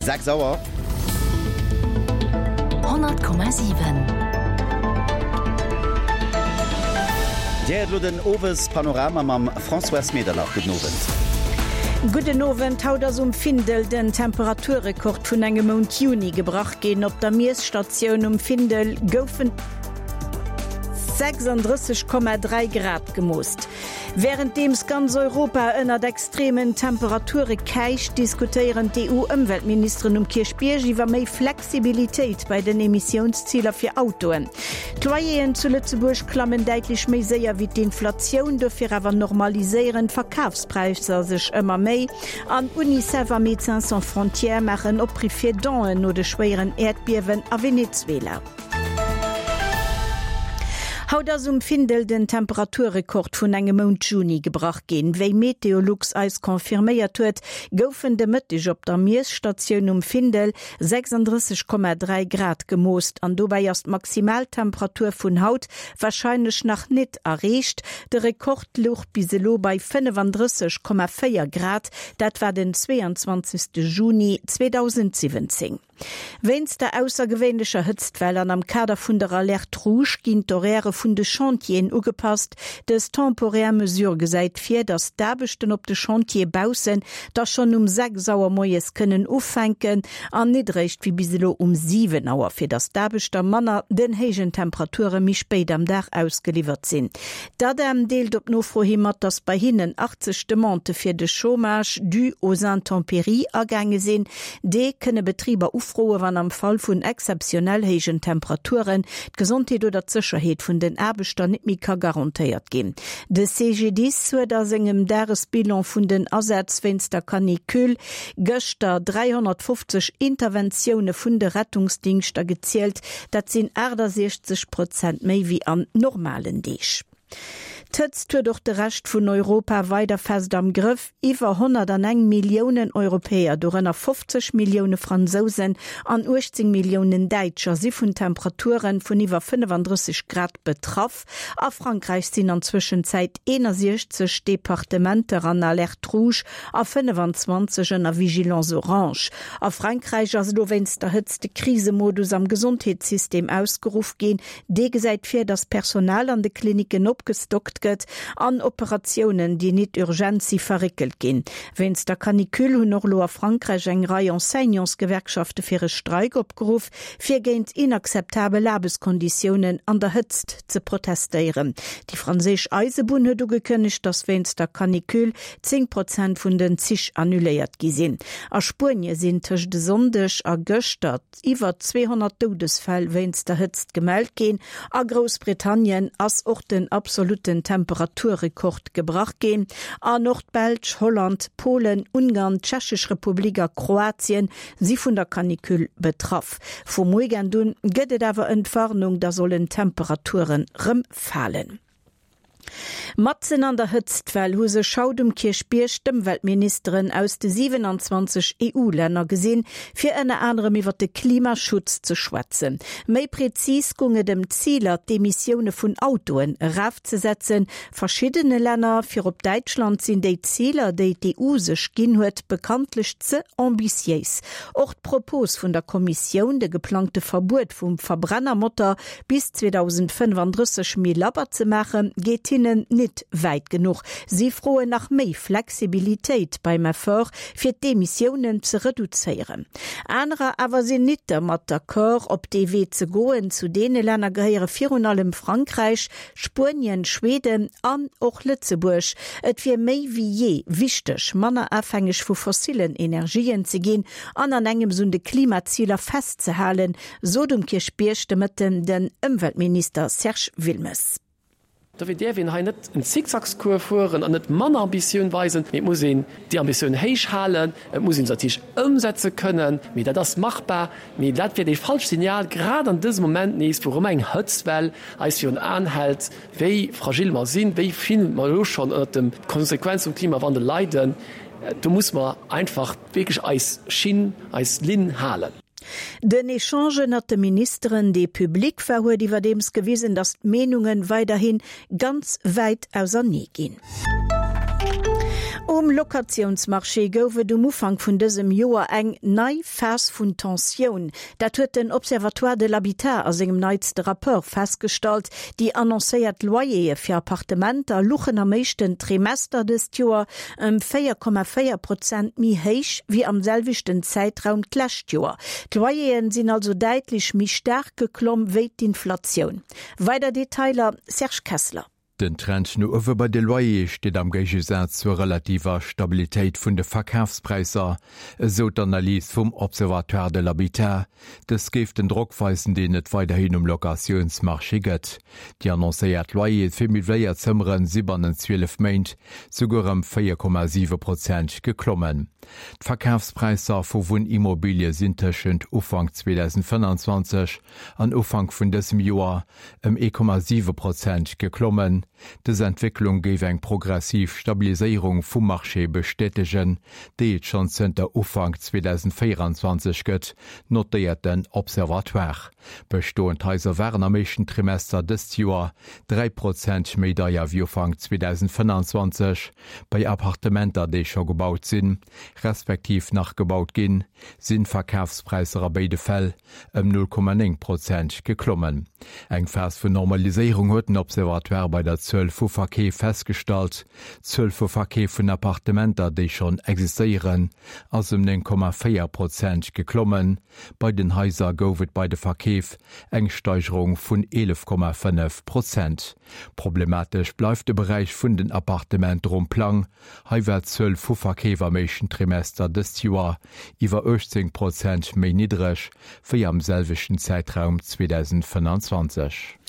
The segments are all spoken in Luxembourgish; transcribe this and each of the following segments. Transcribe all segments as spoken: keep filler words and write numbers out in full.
Sechs Auer. Honnert Komma siwen. Dir héiert elo den Owespanorama mam Françoise Medernach. Gudden Owend. Gudden Owend. Haut ass um Findel den Temperaturrekord vun engem Mount Juni gebrach ginn. Op der Miesstatioun um Findel goufen sechsandrësseg Komma dräi Grad gemoosst. Wärenddeems ganz Europa ënnert extremen Temperature käicht, diskutéieren d'EU-Ëmweltministeren um Kierchbierg iwwer méi Flexibilitéit bei den Emissiounsziler fir Autoen. D'Loyeren zu Lëtzebuerg klammen däitlech méi séier wéi d'Inflatioun, dofir awer normaliséieren d'Verkafspräisser sech ëmmer méi. An Unicef a Médecins sans frontières maachen Opriff fir Donen no de schwéieren Äerdbiewen a Venezuela. Haut ass um Findel den Temperaturrekord vun engem Mount Juni gebrach ginn. Wéi Meteolux eis confirméiert huet, goufen de Mëtteg op der Miesstatioun um Findel sechsandrësseg Komma dräi Grad gemoost an dobäi ass d'Maximaltemperatur vun haut warscheinlech nach nit erreecht. De Rekord louch bis elo bei fënnefandrësseg Komma véier Grad, dat war den zweeanzwanzegste Juni zweedausendsiwwenzéng. Wéinst der aussergewéinlecher Hëtztwell an am Kader vun der Alerte rouge ginn d'Horairë vun de Chantieren ugepasst. Dës temporär Mesure gesäit vir, datt d'Aarbechten op de Chantiere baussen da schonn um sechs Auer moies kënnen ufänken an nit eréischt wéi bis elo um siwen Auer, fir datt d'Aarbechter manner den héijen Temperature méi spéit am Dag ausgeliwwert sinn. D'ADEM deelt op Nofro hi mat, datt bei hinnen achtzeg Demandë fir de Chômage dû aux intempéries agaange sinn. Dee kënne Betriber ufroen, wann am Fall vun exzeptionell héijen Temperaturen d'Gesondheet oder d'Sécherheet vun den Aarbechter net méi ka garantéiert ginn. De C G D I S huet a sengem Dagesbilan vun den Asätz wéinst der Canicule gëschter dräihonnertfofzeg Interventioune vun de Rettungsdingschter gezielt. Dat sinn aachtasechzeg Prozent méi wéi an normalen Deeg. D'Hëtzt huet och de Rescht vun Europa weider fest am Grëff. Iwwer honnertaneng Milliounen Europäer, dorënner fofzeg Millioune Fransousen an uechtzéng Milliounen Däitscher, si vun Temperature vun iwwer fënnefandrësseg Grad betraff. A Frankräich sinn an Zwëschenzäit eenasiechzeg Departementer an Alerte rouge a fënnefanzwanzeg ënner Vigilance orange. A Frankräich ass elo wéinst der Hëtzt de Krisemodus am Gesondheetssystem ausgeruff ginn. Dee gesäit vir, datt Personal an de Klinicken opgestockt gëtt an Operatiounen, déi nit urgent si, verréckelt ginn. Wéinst der Canicule hunn och elo a Frankräich eng Rei Enseignantsgewerkschafte fir e Streik opgeruff, fir géint inakzeptabel Aarbechtskonditiounen an der Hëtzt ze protestéieren. Déi franséisch Eisebunn huet ugekënnegt, datt wéinst der Canicule zéng Prozent vun den Zich annuléiert gi sinn. A Spuenie sinn tëscht e Sonndeg a gëschter iwwer zweehonnert Doudesfäll wéinst der Hëtzt gemellt ginn. A Groussbritannien ass och den absolutten Temperaturrekord gebrach ginn. An och d'Belsch, Holland, Polen, Ungarn, d'Tschechesch Republik a Kroatien si vun der Canicule betraff. Vum Weekend un gëtt et awer Entwarnung, da sollen d'Temperaturen rëm falen. Matzen an der Hëtztwell hu sech haut um Kierchbierg d'Ëmweltministeren aus de siewenanzwanzeg E U-Länner gesinn, fir ënner anerem iwwer de Klimaschutz ze schwätzen. Méi prezis goung et ëm d'Ziler, d'Emissioune vun Autoen erafzesetzen. Verschiddene Länner, virop Däitschland, sinn déi Ziler, déi d'E U sech ginn huet, bekanntlech ze ambitiéis. Och d'Propos vun der Kommissioun, de geplangte Verbuet vum Verbrennermotor bis zweedausendfënnefandrësseg méi labber ze maachen, geet hinnen nit wäit genuch. Si froen nach méi Flexibilitéit beim Effort, fir d'Emissiounen ze reduzéieren. Anerer awer sinn nit dermat d'accord, op dee Wee ze goen. Zu deene Länner gehéiere virun allem Frankräich, Spuenien, Schweden an och Lëtzebuerg. Et wier méi wéi jee wichteg, manner afhängeg vu fossillen Energien ze ginn an an engems un de Klimaziler festzehalen, sot um Kierchbierg de Mëtten den Ëmweltminister Serge Wilmes. Dofir däerf een hei net en Zickzackscours fueren an net manner Ambitioun weisen, mee et muss een déi Ambitioun héich halen, et muss ee se natierlech ëmsetze kënnen, mee dat ass machbar. Mee dat wier dee falscht Signal, grad an dësem Moment nees, wou erëm eng Hëtztwell eis virun Aen hält, wéi fragil mer sinn, wéi vill mer elo schonn ënnert de Konsequenze vum Klimawandel leiden. Do muss mer einfach wierklech eis Schinn, eis Linn halen. Den Echange ënnert de Ministeren, dee public war, huet iwwerdeems gewisen, datt d'Meenunge weiderhi ganz wäit ausernee ginn. Um Locatiounsmarché gouf et um Ufank vun dësem Joer eng nei Phas vun Tensioun. Dat huet den Observatoire de l'habitat a sengem neitste Rapport festgestallt. Déi annoncéiert Loyere fir Appartementer louchen am éischten Trimester dëst Joer ëm véier Komma véier Prozent méi héich wéi am selwechten Zäitraum d'lescht Joer. D'Loyeren sinn also däitlech méi staark geklomm wéi d'Inflatioun. Weider Detailer Serge Kessler. Den Trend no uewe bei de Loyere steet am Géigesaz zur relativer Stabilitéit vun de Verkafspräisser, esou d'Analys vum Observatoire de l'habitat. Dës géif den Drock weisen, deen et weiderhin um Locatiounsmarché gëtt. Déi annoncéiert Loyere fir miwwléiert Zëmmere si bannent zwielef Méint souguer ëm véier Komma siwe Prozent geklommen. D'Verkafspräisser vu Wunnimmobilie sinn tëschent Ufank zweedausendfënnanzwanzeg an Ufank vun dësem Joer ëm ee Komma siwe Prozent geklommen. Dës Entwécklung géif eng progressiv Stabiliséierung vum Marché bestätegen, déi et schonn zënter Ufank zweedausendvéieranzwanzeg gëtt, notéiert den Observatoire. Bestoend Haiser waren am éischten Trimester dëst Joer dräi Prozent méi deier wéi Ufank zweedausendfënnanzwanzeg. Bei Appartementer, déi scho gebaut sinn, respektiv nach gebaut ginn, sinn d'Verkafspräisser a béide Fäll ëm null Komma néng Prozent geklommen. Eng Phas vun Normaliséierung huet den Observatoire bei der Zuel vu Verkeef festgestallt. D'Zuel vu Verkeef vun Appartementer, déi schonn existéieren, ass ëm néng Komma véier Prozent geklommen. Bei den Haiser gouf et bei de Verkeef eng Steigerung vun eelef Komma fënnef Prozent. Problematesch bleift de Beräich vun den Appartementer um Plang. Hei war d'Zuel vu Verkeef am éischten Trimester dëst Joer iwwer uechtzéng Prozent méi niddreg wéi am selwechten Zäitraum zweedausendfënnanzwanzeg.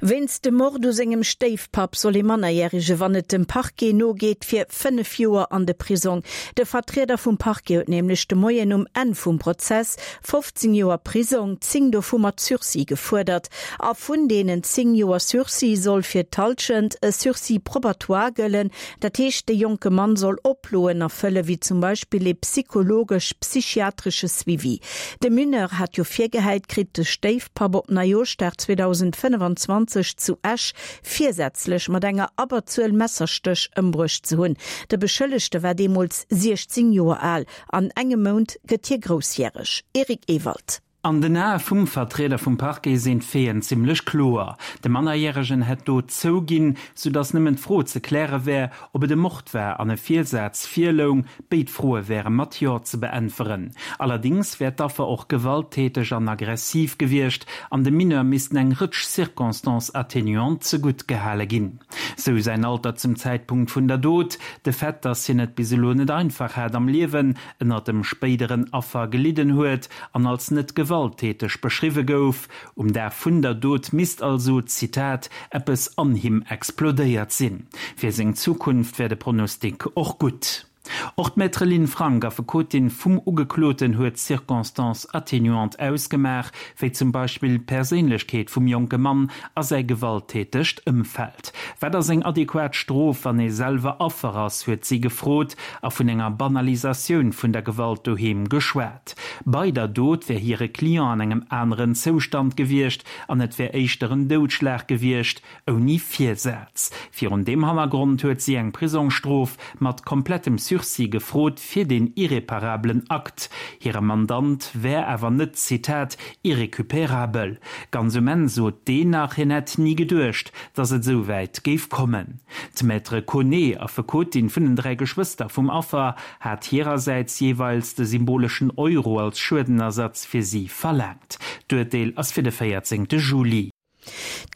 Wéinst dem Mord u sengem Stéifpapp soll ee Mannerjärege, wann et dem Parquet nogeet, fir fënnef Joer an de Prisong. De Vertrieder vum Parquet huet nämlech de Moien um Enn vum Prozess fofzéng Joer Prisong, zéng dovu mat Sursis, gefuerdert. A vun deenen zéng Joer Sursis soll fir d'Hallschent e Sursis probatoire gëllen, dat heescht de jonke Mann soll Oploen erfëlle wéi zum Beispill ee psychologesch-psychiatresche Suivi. De Mineur hat jo virgehäit kritt, de Stéifpapp op Neijooschdag zweedausendfënnfanzwanzeg zu Esch virsätzlech mat enger Abberzuel Messerstéch ëmbruecht ze hunn. De Beschëllegte war deemools siechzéng Joer al. An engem Mount gëtt hie groussjäreg. Eric Ewald. An den Ae vum Vertrieder vum Parquet sinn d'Faiten zimmlech kloer. De Mannerjäregen hätt d'Dot zouginn, soudass nëmmen d'Fro ze kläre wär, ob et e Mord war an e Virsaz virloung. Béid Froe wäre mat Jo ze beäntweren. Allerdéngs wär d'Affer och gewalttäteg an aggressiv gewiescht an dem Mineur missten eng Rëtsch Circonstances atténuantes zegutt gehale ginn. Sou säin Alter zum Zäitpunkt vun der Dot, de Fait, dass hien et bis elo net einfach hat am Liewen, ënnert dem spéideren Affer gelidden huet an als net gewalttäteg beschriwwe gouf. Um Dag vun der Dot misst also, Zitat, eppes an him explodéiert sinn. Fir seng Zukunft wär de Pronostic och gutt. Och d'Maître Lynn Frank, Affekotin vum Ugekloten, huet Circonstances atténuantes ausgemaach, wéi zum Beispill d'Perséinlechkeet vum jonke Mann a säi gewalttätegt Ëmfeld. Wat ass eng adequat Strof, wann ee selwer Affer ass, huet si gefrot a vun enger Banalisatioun vun der Gewalt doheem geschwat. Bei der Dot wär hire Client an engem aneren Zoustand gewiescht an et wär éischter en Doudschlag gewiescht, ouni Virsaz. Virun deem Hannergrond huet si eng Prisongsstrof mat komplettem Sursis gefrot fir den irreparablen Akt. Hire Mandant wär awer net, Zitat, irrécupérabel. Ganz um Enn sot deen nach, hien hätt ni geduecht, datt et esou wäit géif kommen. D'Maître Koné, Affekotin vun den dräi Geschwëster vum Affer, hat hirersäits jeeweils de symboleschen Euro als Schuedenersatz fir si verlaangt. D'Urteel ass fir de véierzéngte Juli.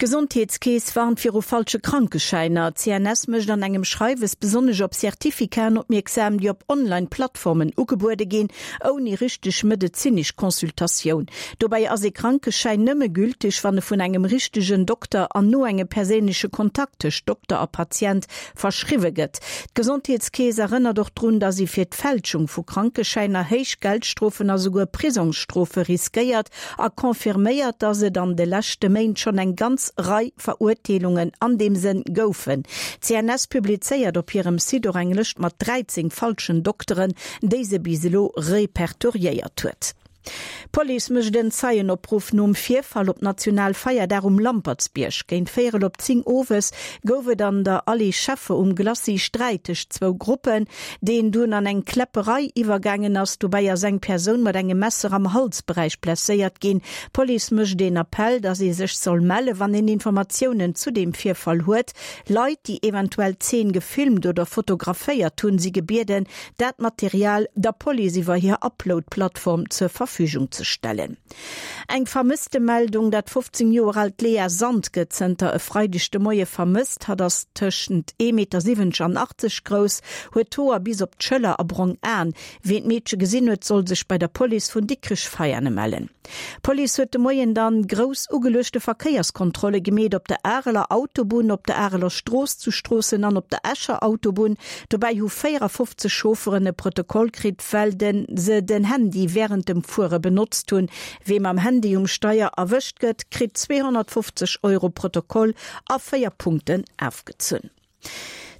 D'Gesondheetskeess warnt viru falsche Krankeschäiner. D'C N S mécht an engem Schreiwes besonnesch op Certificaten opmierksam, déi op Online-Plattformen ugebuede ginn, ouni richteg medezinesch Consultatioun. Dobäi ass ee Krankeschäin nëmme gülteg, wann e vun engem richtegen Dokter an no engem perséinleche Kontakt tëscht Dokter a Patient verschriwwe gëtt. D'Gesondheetskeess erënnert och drun, datt ee fir d'Fälschung vu Krankeschäiner héich Geldstrofen a souguer Prisongsstrofe riskéiert a confirméiert, datt et an de leschte Méint schonn eng ganz Rei Verurteelungen an deem Sënn goufen. D'C N S publizéiert op hirem Site och eng Lëscht mat dräizéng falschen Dokteren, déi se bis elo repertoriéiert huet. D'Police mécht en Zeienopruff nom Virfall op Nationalfeierdag um Lampertsbierg. Géint véierel op zéng owes gouf et an der Allée Scheffer um Glacis Sträit tëscht zwou Gruppen, deen dunn an eng Kläpperei iwwergaangen ass. Dobäi ass eng Persoun mat engem Messer am Halsberäich blesséiert ginn. D'Police mécht een Appell, dass ee sech soll melle wann een Informatiounen zu deem Virfall huet. Leit, déi eventuell d'Zeen gefilmt oder fotograféiert hunn, si gebieden, dat Material der Police iwwer hir Upload-Plattform zur Verfügung ze stellen. Eng Vermësstemeldung, Dat fofzéng Joer aalt Lea Sand gëtt zënter e Freideg de Moie vermësst. Hatt ass tëschent ee Meter siwwenzeg an achtzeg grouss, huet d'Hoer bis op d'Schëller a brong Aen. Wien d'Meedche gesinn huet, soll sech bei der Police vun Dikrech-Veiane mellen. D'Police huet de Moien dann grouss ugeluechte Verkéierskontrolle gemeet op der Areler Autobunn, op der Areler Strooss zu Stroossen an op der Escher Autobunn. Dobäi hu véierafofzeg Chaufferen e Protokoll kritt, well den se den Handy wärend dem Fuere benotzt hunn. Wee mam Handy um Steier erwëscht gëtt, kritt zweehonnertfofzeg Euro Protokoll a véier Punkten afgezunn.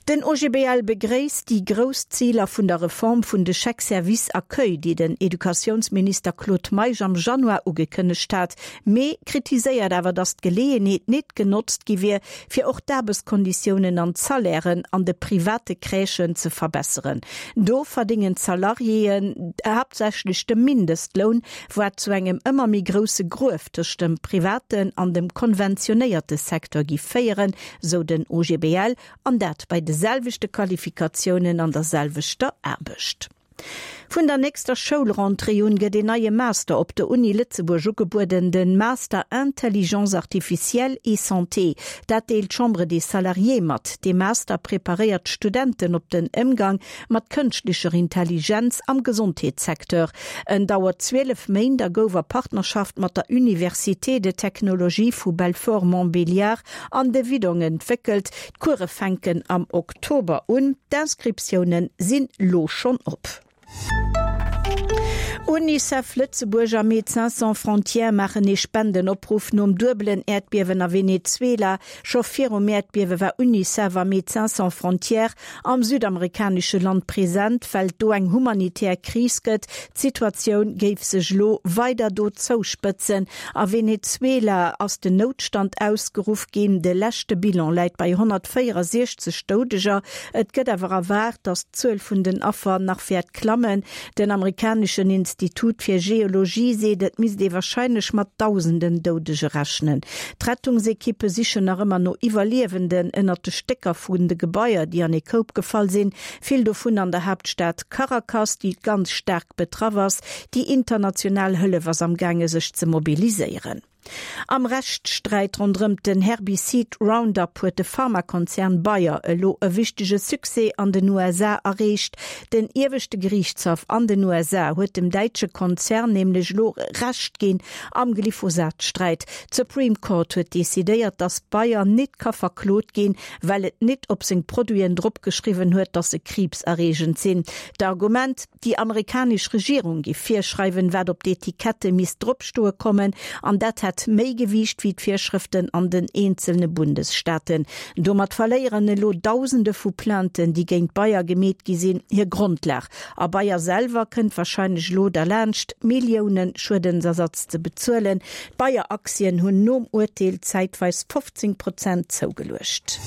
Den O G B L begréisst déi grouss Ziler vun der Reform vun de Chèques-service accueil, déi den Educatiounsminister Claude Meisch am Januar ugekënnegt hat, mee kritiséiert awer, datt d'Geleeënheet net genotzt gi wier, fir och d'Aarbechtskonditiounen an d'Salairen an de private Crèchen ze verbesseren. Do verdéngen d'Salariéen haaptsächlech de Mindestloun, wat zu engem ëmmer méi grousse Gruef tëscht dem privaten an dem konventionéierte Secteur géif féieren, sou den O G B L, an dat bei de selwechte Qualifikatiounen an der selwechter Aarbecht. Vun der nächster Schoulrentrée un gëtt een neie Master op der Uni Lëtzebuerg ugebueden, den Master Intelligence artificielle et santé. Dat deelt d'Chambre des Salariés mat. Dee Master preparéiert d'Studenten op den Ëmgang mat kënschtlecher Intelligenz am Gesondheetssecteur. En dauert zwielef Méint a gouf a Partnerschaft mat der Université de Technologie vu Belfort-Montbéliard an de Widong entwéckelt. D'Course fänken am Oktober un. D'Inscriptiounen sinn lo schonn op. Unicef Lëtzebuerg a Médecins Sans Frontières maachen ee Spendenopruff nom duebelen Äerdbiewen a Venezuela. Scho virum Äerdbiewe war Unicef a Médecins Sans Frontières am südamerikanesche Land present, well do eng humanitär Kris gëtt. D'Situatioun géif sech lo weider do zouspëtzen. A Venezuela ass den Noutstand ausgeruff ginn. De leschte Bilan läit bei honnertvéierundsechzeg Doudeger. Et gëtt awer erwaart, datt d'Zuel vun den Affer nach wäert klammen. Den amerikaneschen Institut fir Geologie seet, et misst ee warscheinlech mat dausenden Doudege rechnen. D'Rettungsekippe sichen nach ëmmer no Iwwerliewenden ënnert de Stécker vun de Gebaier, déi an ee Koup gefall sinn. Vill dovun an der Haaptstad Caracas, déi ganz staark betraff ass. Déi international Hëllef ass am gaange sech ze mobiliséieren. Am Rechtssträit ronderëm den Herbizid Roundup huet de Pharmakonzern Bayer elo e wichtege Succès an den U S A erreecht. Den ieweschte Geriichtshaff an den U S A huet dem däitsche Konzern nämlech elo Recht ginn am Glyphosat-Sträit. D'Supreme Court huet decidéiert, datt Bayer net ka verklot ginn, well et net op seng Produiten drop geschriwwen huet, datt se kriibserreegend sinn. D'Argument, déi amerikanesch Regierung géif virschreiwen, wat op d'Etikette misst dropstoe kommen, an dat hätt méi Gewiicht wéi d'Virschrëften an den eenzelne Bundesstaaten. Domat verléieren elo Dausende vu Plainten, déi géint Bayer gemeet gi sinn, hir Grondlag. A Bayer selwer kënnt warscheinlech elo derlaanscht, Millioune Schuedensersatz ze bezuelen. D'Bayer-Aktien hunn nom Urteel zäitweis fofzéng Prozent zougeluecht.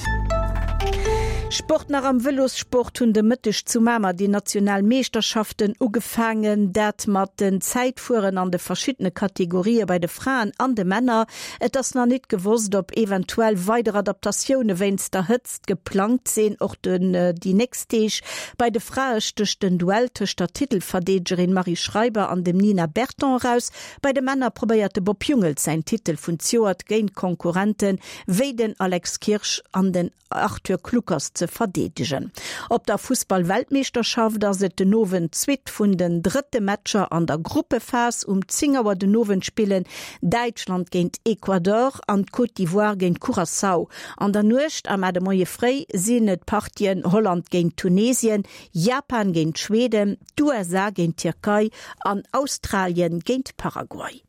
Sport nach. Am Vëlossport hunn de Mëtteg zu Mamer déi national Meeschterschaften ugefaangen, dat mat den Zäitfueren an de verschiddene Kategorië bei de Fraen an de Männer. Et ass nach net gewosst, ob eventuell weider Adaptatioune wéinst der Hëtzt geplangt sinn, och den déi nächst Deeg. Bei de Frae stécht den Duell tëscht der Titelverdeedegerin Marie Schreiber an dem Nina Berton eraus. Bei de Männer probéiert de Bob Jungels säin Titel vun zejoert géint Konkurrente wéi den Alex Kirsch an den Arthur Kluckers ze verdeedegen. Op der Fussball-Weltmeeschterschaft ass et den Owend d'Suite vun den drëtte Matcher an der Gruppephas. Um zéng Auer den Owend spillen Däitschland géint Ecuador an d'Côte d'Ivoire géint Curaçao. An der Nuecht a mar de Moie fréi sinn et d'Partien Holland géint Tunesien, Japan géint Schweden, d'U S A géint d'Tierkei an Australien géint Paraguay.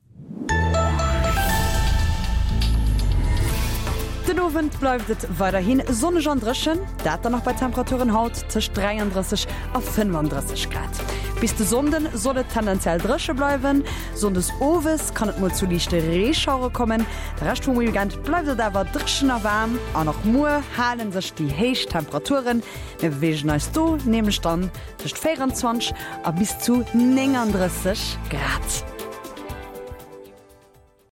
Den Owend bleift et weiderhi sonneg an dréchen, dat dann nach bei Temperaturen haut tëscht dräiandrësseg a fënnefandrësseg Grad. Bis de Sonnde soll et tendenziell dréche bleiwen, sonndes owes kann et mol zu liichte Reeschauere kommen. De Rescht vum Weekend bleift et awer dréchen a waarm an och muer hale sech déi héich Temperaturen. Mir beweegen eis do nämlech dann tëscht véierundzwanzeg a bis zu néngandrësseg Grad.